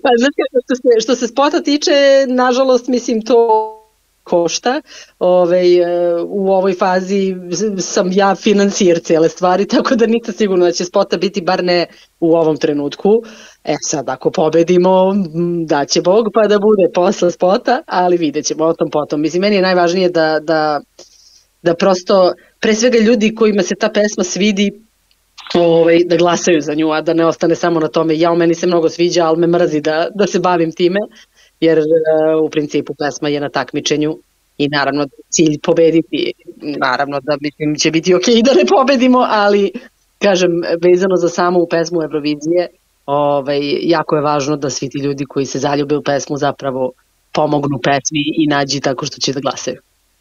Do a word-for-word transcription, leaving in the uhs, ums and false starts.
Pa znači, što se, što se spota tiče, nažalost, mislim, to košta. Ove, u ovoj fazi sam ja financijer cijele stvari, tako da nisam sigurno da će spota biti, bar ne u ovom trenutku. E sad, ako pobedimo, da će Bog pa da bude posle spota, ali vidjet ćemo o tom potom. Mislim, meni je najvažnije da, da, da prosto, pre svega ljudi kojima se ta pesma svidi, ovaj, da glasaju za nju, a da ne ostane samo na tome. Ja, u meni se mnogo sviđa, ali me mrzi da, da se bavim time, jer uh, u principu pesma je na takmičenju i naravno cilj pobediti, naravno da mislim će biti ok da ne pobedimo, ali kažem, vezano za samu pesmu Eurovizije, ovaj, jako je važno da svi ti ljudi koji se zaljube u pesmu zapravo pomognu pesmi i nađi tako što će da glasaju.